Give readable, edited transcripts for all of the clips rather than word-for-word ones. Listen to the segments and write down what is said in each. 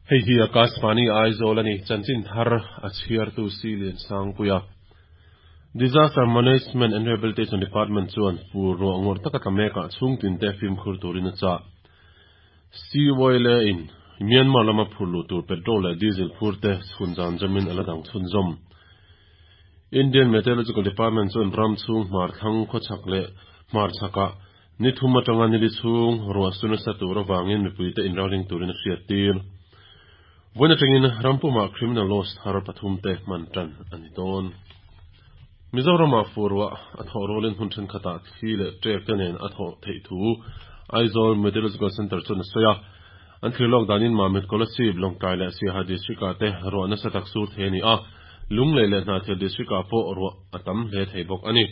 Hei hi Akashvani Aizawl a ni, chanchin thar a chhiartu Si Liansangpuia. Disaster Management and Rehabilitation Department chuan fur ruah ngawrh taka tla mekah chhungtin te fimkhur turin a chah. CYLA in Myanmar lama phur luh tur petrol leh diesel phur te chhun zan zawmin a la dang chhunzawm. Indian Meteorological Department chuan ram chhung hmar thlang khawchhak leh hmar chhakah Ni thum atanga ni li chhung ruah su nasa tur avangin mipuite inralring turin a hriattir. Vawiin atangin ram pumah criminal laws thar pathum te hman tan a ni dawn. Mizoramah fur ruah a thawh rualin hmun thenkhatah thli leh ṭek te nen a thawh theih thu Aizawl Meteorological Centre chuan a sawi a. An thlir lawk danin Mamit Kolasib, Lawngtlai leh Siaha District-ah te ruah nasa tak sur thei a ni a, Lunglei leh Hnahthial District-ah pawh ruah a tam hle thei bawk a ni.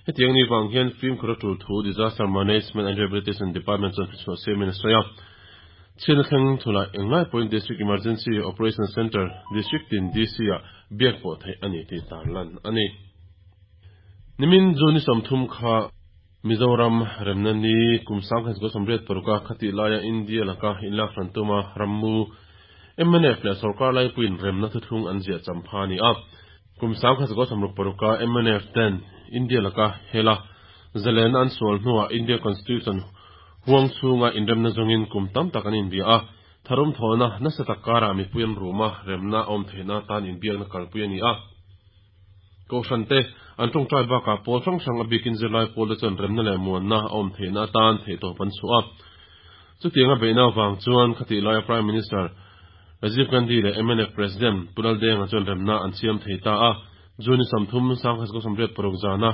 Hetiang ni vang hian fimkhur a tul thu Disaster Management and Rehabilitation Department chuan hrichhuah siamin a sawi a. Chhiatna thleng thulah englai pawhin District Emergency Operation Centre, District tin DC-ah biak pawh theih a ni tih tarlan a ni. Nimin June ni 30 kha Mizoram remna ni kum 1986 a khatih laia India laka inlak hran tuma rammu mnf leh sorkar laipuiin remna thuthlung an ziah champha a ni a. Kum 1966 a mnf ten India laka hela zalenna an sual hnuah India Constitution huang chhunga inremna zawngin kum tam tak an inbia a, tharum thawhna nasa tak karah mipui an rum a, remna a awm theihna atan inbiakna kalpui a ni a. Kohhran te an tawngtai bakah pawl hrang hrang a bikin zirlai pawl te chuan remna leh muanna a awm theihna atan theihtawp an chhuah a. Chutianga beihna avang chuan khatih laia Prime Minister Rajiv Gandhi leh mnf President Pu Laldenga chuan remna an siam thei ta a, June ni 30, 1986 zana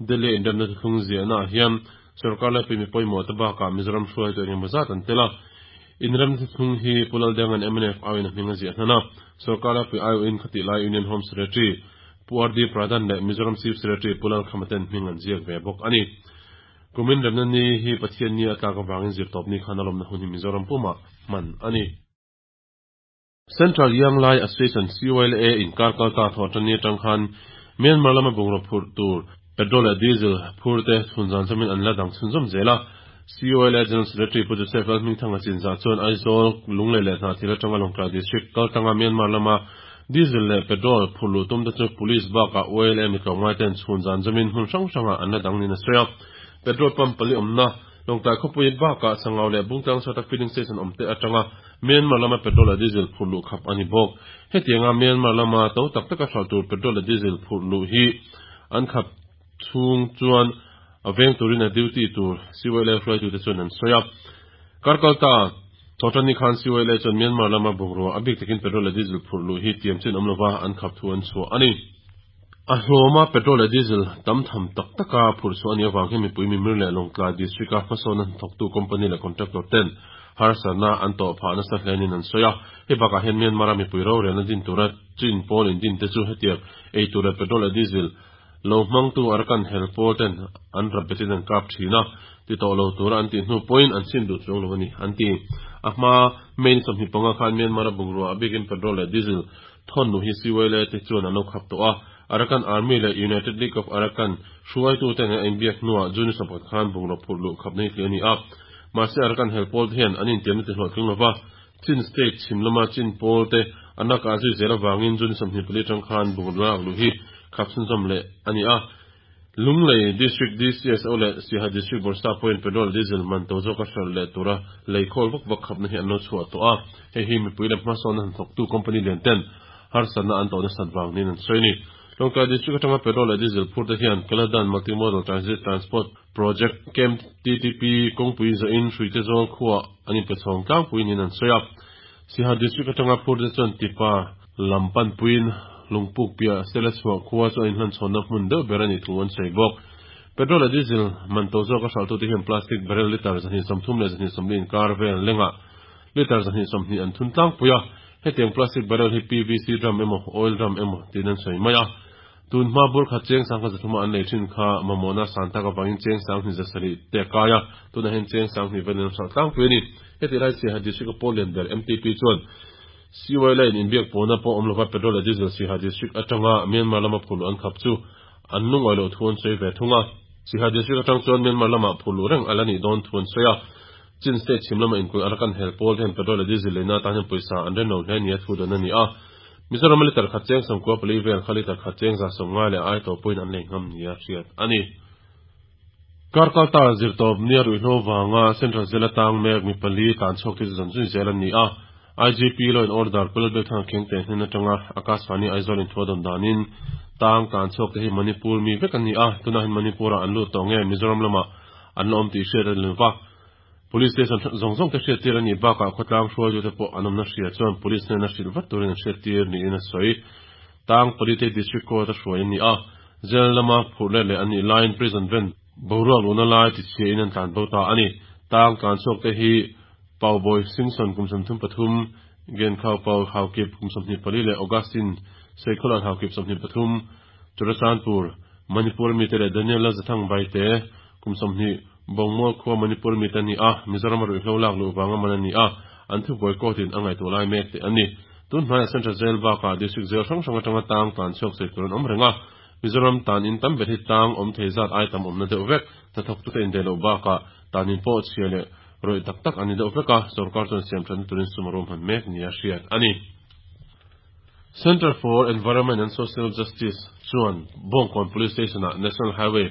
Delhi a inremna thuthlung ziahnaah hian sorkar laipui mi pawimawh te bakah Mizoram hruaitu eng emaw zat an tel a. Inremna thuthlung hi Pu Laldenga'n mnf aiawhin a hming a ziah hnan a, sorkar laipui aiawhin khatih lai Union Home Secretary Pu RD Pradhan leh Mizoram Chief Secretary Pu Lalkhama ten hming an ziak ve bawk a ni. Kumin remna ni hi Pathian ni a tlak avangin zirtawpni khan a lawmna hun hi Mizoram pumah hman a ni. Central Young Lai Association, CYLA, inkar kal ta thawh tan ni atang khan Myanmar lama bungraw phurh tur petrol leh diesel phur te chhun zan zawmin an la dang chhunzawm zel a. CYLA General Secretary Pu Joseph Lalhmingthanga chinzah chuan Aizawl, Lunglei leh Hnahthial atanga Lawngtlai District kaltanga Myanmar lama diesel leh petrol phurh luh tum te chu Police bakah YLA mi tlawmngai ten chhun zan zawmin hmun hrang hrangah an la dang niin a sawi a. Petrol pump pali awmna Lawngtlai khawpui bakah Sangau leh Bungtlang Satak Filling Station awmte atanga Myanmar lama petrol leh diesel phurh luh khap a ni bawk. Hetianga Myanmar lama to tak taka hralh tur petrol leh diesel phurh luh hi an khap chhung chuan a veng turin a duty tur CYLA hruaitute chuan an sawi a. Karkalta Thawhtanni khan CYLA chuan Myanmar lama bungrua a bik takin petrol leh diesel phurh luh hi tiam chin awm lova an khap thu an chhuah a ni. A hlawma petrol leh diesel tam tham tak taka phurh chhuah a nih avang hian mipui mimir leh Lawngtlai District-a hmasawnna hnathawktu company leh contractor ten harsatna an tawh phah nasa hle niin an sawi a. Hei bakah hian Myanmar-a mipui rorelna din tura chin pawl indin te chu hetiang ei tur leh petrol leh diesel lo hmangtu Arakan hel pawl ten an rap betin an kap thin a, ti tawh lo tura an tih hnu pawhin an sim duh chuang lo a ni, an ti. A hma May ni 25 khan Myanmar-a bungrua a bikin petrol leh diesel Thawn nu hi CYLA te chuan an lo khap tawh a, Arakan Army leh United League of Arakan hruaitute nen a inbiak hnuah June 10 khan bungraw phurh luh khapna hi tih a ni a. Mahse Arakan hel pawl te hian an intiamna ti hlawhtling lova, Chin State chhim lama Chin pawl te an lak ah zui zel avangin June 24 atang khan bungraw lak luh hi khap chhunzawm leh a ni a. Lunglei District DCSO leh Siaha District Bawrhsap pawhin petrol diesel man to zawka hralh leh tura lei khawl vak vak khapna hi an lo chhuah tawh a, hei hi mipui leh hmasawnna hnathawktu company lian ten harsatna an tawh nasat vang niin an sawi a ni. Lawngtlai District atanga petrol leh diesel phur te hian Kaladan Multimodal Transit Transport Project, KMTTP, kawngpui zawhin Hruite Zawl khuaah an inpe chhawng tlangpui niin an sawi a. Siaha District atanga phur te chuan Tipa lam panpuiin Lungpuk piah Sela chhuah khua chu a inhlanchhawnna hmun deuh ber a nih thu an sawi bawk. Petrol leh diesel man to zawka hralhtute hian plastic barrel litre 230 leh 240 inkar vel lengah litre 220 an thun tlangpui a, hetiang plastic barrel hi PVC drum emaw oil drum emaw tiin an sawi mai a. Tun hma bur khat cheng sangkhat zathuma an lei thin kha mamawhna san tak avangin cheng 10,000 7 te a kai a, tunah hian cheng 20,000 velin an hralh tlangpui a ni. Heti lai Siaha District a pawl lian ber MTP chuan CY line inbiak pawhna pawh awm lova petrol leh diesel Siaha District atanga Myanmar lama phurh luh an khap chu an lungawi loh thu an sawi ve thung a. Siaha District atang chuan Myanmar lamah phurh luh reng a la nih dawn thu an sawi a. Chin State chhim lama inkulh Arakan hel pawl te hian petrol leh diesel leina atan hian pawisa an rem lo hle nia thu dawn a ni a. Mizorama litre khat cheng 94 vel kha litre khat cheng 150 leh ai tawh pawhin an lei ngam nia hriat a ni. Kar kalta zirtawp nia ruihhlo vanga Central Jail atang mek mi pali tlan chhuak te chu zan zui zel an ni a. IGP Law and Order Pu Lalbiakthanga Khengte hnen atanga Akashvani Aizawl in thu a dawn danin tang tlan chhuak te hi Manipur mi vek an ni a, tunah hian Manipur ah an lut tawh nge Mizoram lamah an la awm tih hriat a ni lova. Police station zawng zawng te hriattir a nih bakah khawtlang hruaitute pawh an awmna hria chuan police hnena hrilh vat turin an hriattir niin a sawi. Tang Palite District Court a hruai a ni a, jail lama phurh let leh an nih laiin prison van boruak luhna lai tichhiain an tlan bo ta a ni. Tang tlan chhuak te hi Paubawi Singson kum 33, Genkhau Pau Haukip kum 24 leh Augustine Seikhawlan Haukip 23, Churachandpur, Manipur mite leh Daniel Lalzathang Baite kum 20, Bawngmual khua Manipur mite a ni a, Mizorama ruihhlo lak luh vanga man a ni a, an thubuai court-in a ngaihtuah lai mek teh a ni. Tun hmaiah Central Jail bakah District Jail hrang hrang atanga tang tlan chhuak sawi tur an awm reng a, Mizoram tan in tam ber hi tang awm thei zat ai tam awmna deuh vek, hnathawktute indaih loh bakah tan in pawh chhia leh rawih tak tak an ni deuh vek a, sorkar chuan siam thatna turin sum a ruahman mek nia hriat a ni. Centre for Environment and Social Justice chuan Bawngkawn Police Station-ah National Highway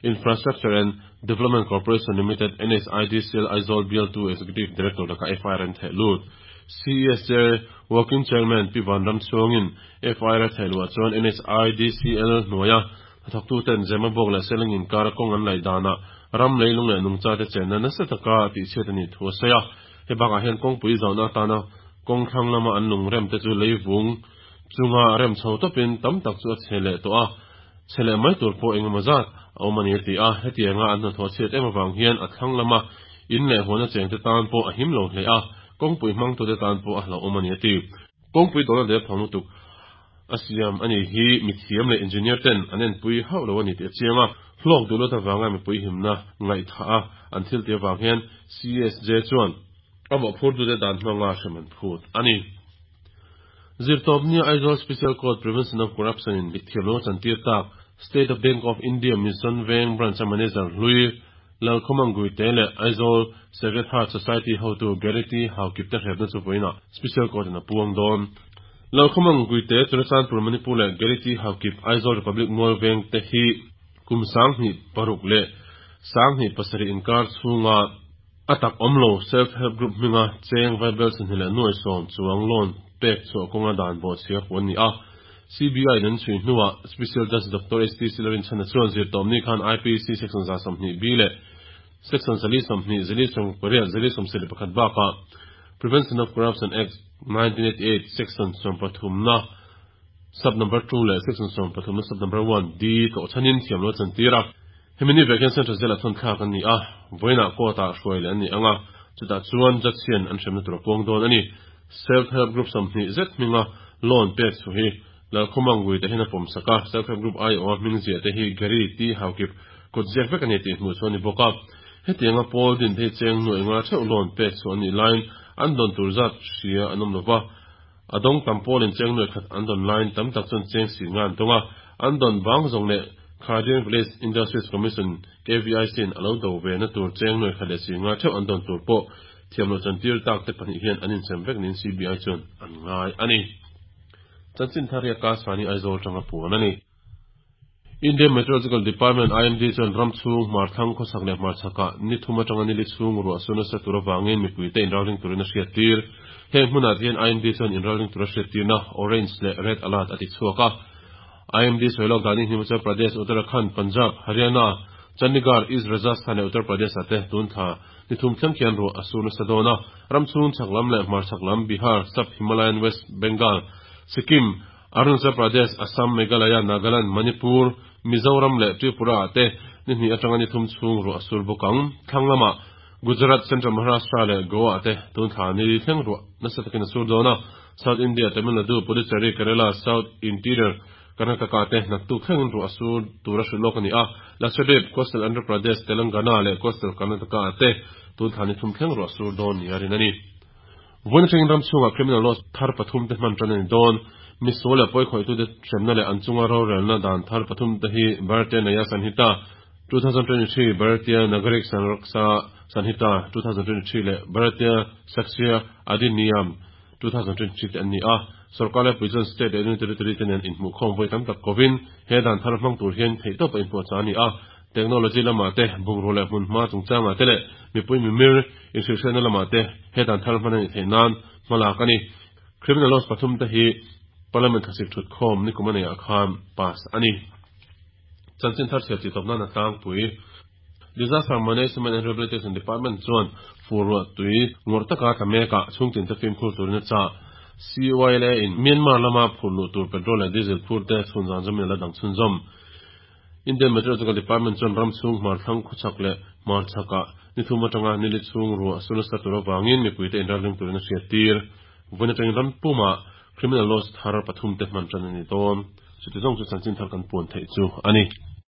Infrastructure and Development Corporation Limited, NHIDCL, Aizawl Bialtu Executive Director lakah FIR an theh lut. CESJ Working Chairman Pi Vanram chhuangin FIR a theh luah chuan NHIDCL hnuaia hnathawktuten Zemabawk leh Seleng inkara kawng an laih danah ram leilung leh nungchate chenna nasa taka tihchhiat a nih thu a sawi a. He bakah hian kawngpui zauhna atana kawng thlang lama an lung rem te chu leivung chunga rem chho tawpin tam tak chu a chhe leh tawh a, chhe leh mai tur pawh engemaw zat a awm a ni a ti a. Hetianga an hnathawh chhiat em avang hian a thlang lama in leh huana chengte tan pawh a him lo hle a, kawngpui hmangtute tan pawh a hlauhawm a ni a ti. Kawngpui dawlna derthawng lutuk a siam a nih hi mithiam leh engineer ten an enpui hauh lo a ni tih a chiang a, hlawk duh lut avanga mipui himna ngaihthah a an thil tih avang hian CSJ chuan a mawhphurtute dan hmanga hrem an phut a ni. Zirtawpnia Aizawl Special Court Prevention of Corruption in thiamlo a chantir tak State of Bank of India Mission Veng Branch a Manager hlui Lalkhawmang Guite leh Aizawl Sacred Heart Society hotu Gary T. Haukip te hrepna chu vawiinah Special Court in a puang dawn. Lalkhawmang Guite, Churachandpur Manipur leh Gary T. Haukip, Aizawl Republic Mual Veng te hi kum 2006 le 2007 inkar chhunga a tak awm lo Self Help Group hminga cheng vaibel 20 le 10 chuang loan pek chhuah kawnga dan bawhchhia puh an ni a. CBI in an chhui hnuah Special Judge Doctor HT Silarinchhana chuan zirtawmni khan IPC Section 120 B leh Section 420, 428, 421 bakah Prevention of Corruption Act, 1988 Section 13 na Sub Number 2 leh Section 13 na Sub Number 1 D tlawh chhanin thiamlo a chantir a. Hemi ni vek hian Central Jail-ah thawn thlak an ni a, vawiinah court-ah hruai leh an ni ang a, chutah chuan judge hian an hremna tur a puang dawn a ni. Self Help Group 20 zet hminga loan pek chu hi Lalkhawmang Guite hian a pawm sak a, Self Help Group aiawha hming ziah te hi Gary T Haukip kut ziak vek a ni tih hmuh chu a ni bawk a. Hetianga pawl din te hi cheng nuaih nga theuh loan pek chu an nih laiin an dawn tur zat hria an awm lo va. A dawng tam pawlin cheng nuaih khat an dawn laiin tam tak chuan cheng si nga an dawng a, an dawn bang zawng leh Khadian Village Industries Commission, KVIC, in a lo do ve na tur cheng nuaih khat leh si nga theuh an dawn tur pawh thiam loh chantir tak te pahnih hian an insem vek niin CBI chuan an ngai a ni. Chanchin thar hi Akashvani Aizawl atanga puan a ni. Indian Meteorological Department, IMD, chuan ram chhung hmarthlang khawsak leh hmarchhakah ni thum atanga ni li chhung ruah su nasa tur avangin mipuite inralring turin a hriattir. Heng hmunah te hian IMD chuan inralring tura hriattirna Orange leh Red Alert a ti chhuak a. IMD sawi lawk danin Himachal Pradesh, Uttarakhand, Punjab, Haryana, Chandigarh, East Rajasthan leh Uttar Pradesh-ah te tun thla ni thum thleng khian ruah a sur nasa dawn a. Ram chhung chhak lam leh hmarchhak lam Bihar, Sub-Himalayan West Bengal, Sikkim, Arunachal Pradesh, Assam, Meghalaya, Nagaland, Manipur, Mizoram leh Tripura ah te ni hnih atanga ni thum chhung ruah a sur bawk ang. Thlang lamah Gujarat, Central Maharashtra leh Goa ah te tun thla ni thleng ruah nasa takin a sur dawn a. South India, Tamil Nadu, Puducherry, Kerala, South Interior, Karnataka te naktuk thlengin ruah a sur tur a hrilh lawk a ni a. Lakshadweep, Coastal Andhra Pradesh, Telangana leh Coastal Karnataka ah te tun thla ni thum thleng ruah a sur dawn nia rin a ni. Vawiin atangin ram chhungah criminal laws thar pathum te hman tan a ni dawn. Misual leh pawikhawih-tute hremna leh an chunga rorelna dan thar pathum te hi Bharatiya Nyaya Sanhita, 2023, Bharatiya Nagarik Sanraksha Sanhita, 2023 leh Bharatiya Sakshya Adhiniyam, 2023 te an ni a. Sorkar laipui chuan state leh union territory te nen inhmuhkhawm vawi tam tak kovin he dan thar hmang tur hian theihtawpa inpuahchah a ni a. Technology lamah te, bungraw leh hmunhma chungchangah te leh mipui mimir inhrilhhriatna lamah te he dan thar hman a nih theih nan hmalak a ni. Criminal laws pathum te hi Parliament thlasik thutkhawm nikum a neihah khan pass a ni. Chanchin thar chhiar tih tawp nan a tlangpui. Disaster Management and Rehabilitation Department chuan fur ruah tui ngawrh taka tla mekah chhungtinte fimkhur turin a chah. CYLA in Myanmar lama phurh luh tur petrol leh diesel phur te chhun zan zawmin a la dang chhunzawm. Indian Meteorological Department chuan ram chhung hmar thlang khawchhak leh hmar chhakah ni thum atanga nili chhung ruah a su nasa tur avangin mipuite inralring turin a hriattir. Vawiin atangin ram pumah Criminal Laws thar pathumte hman tan a ni dawn. Chuti zawng chu chanchin thar kan puan theih chu a ni.